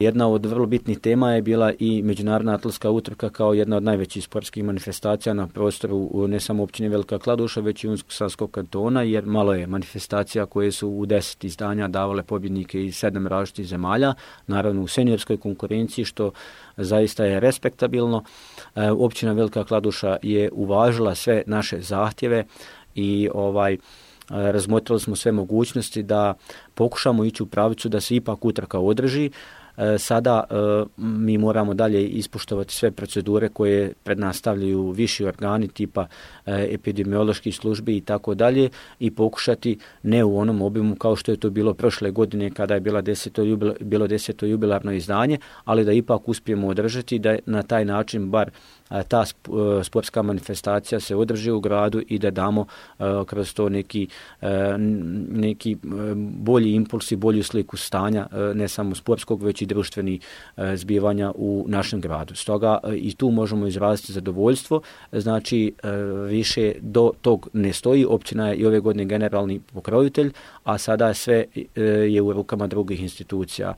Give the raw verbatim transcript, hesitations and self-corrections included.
Jedna od vrlo bitnih tema je bila i međunarodna atletska utrka kao jedna od najvećih sportskih manifestacija na prostoru ne samo općine Velika Kladuša, već i Unsko-Sanskog kantona, jer malo je manifestacija koje su u deset izdanja davale pobjednike iz sedam različitih zemalja, naravno u seniorskoj konkurenciji, što zaista je respektabilno. Općina Velika Kladuša je uvažila sve naše zahtjeve i ovaj razmotrili smo sve mogućnosti da pokušamo ići u pravicu da se ipak utrka održi. Sada mi moramo dalje ispoštovati sve procedure koje pred nas stavljaju viši organi tipa epidemioloških službi i tako dalje i pokušati ne u onom obimu kao što je to bilo prošle godine kada je bila deseto jubil, bilo deseto jubilarno izdanje, ali da ipak uspijemo održati da na taj način bar ta sportska manifestacija se održi u gradu i da damo kroz to neki, neki bolji impuls i bolju sliku stanja ne samo sportskog već i društvenih zbivanja u našem gradu. Stoga i tu možemo izraziti zadovoljstvo, znači više do tog ne stoji, općina je i ove godine generalni pokrovitelj, a sada sve je u rukama drugih institucija.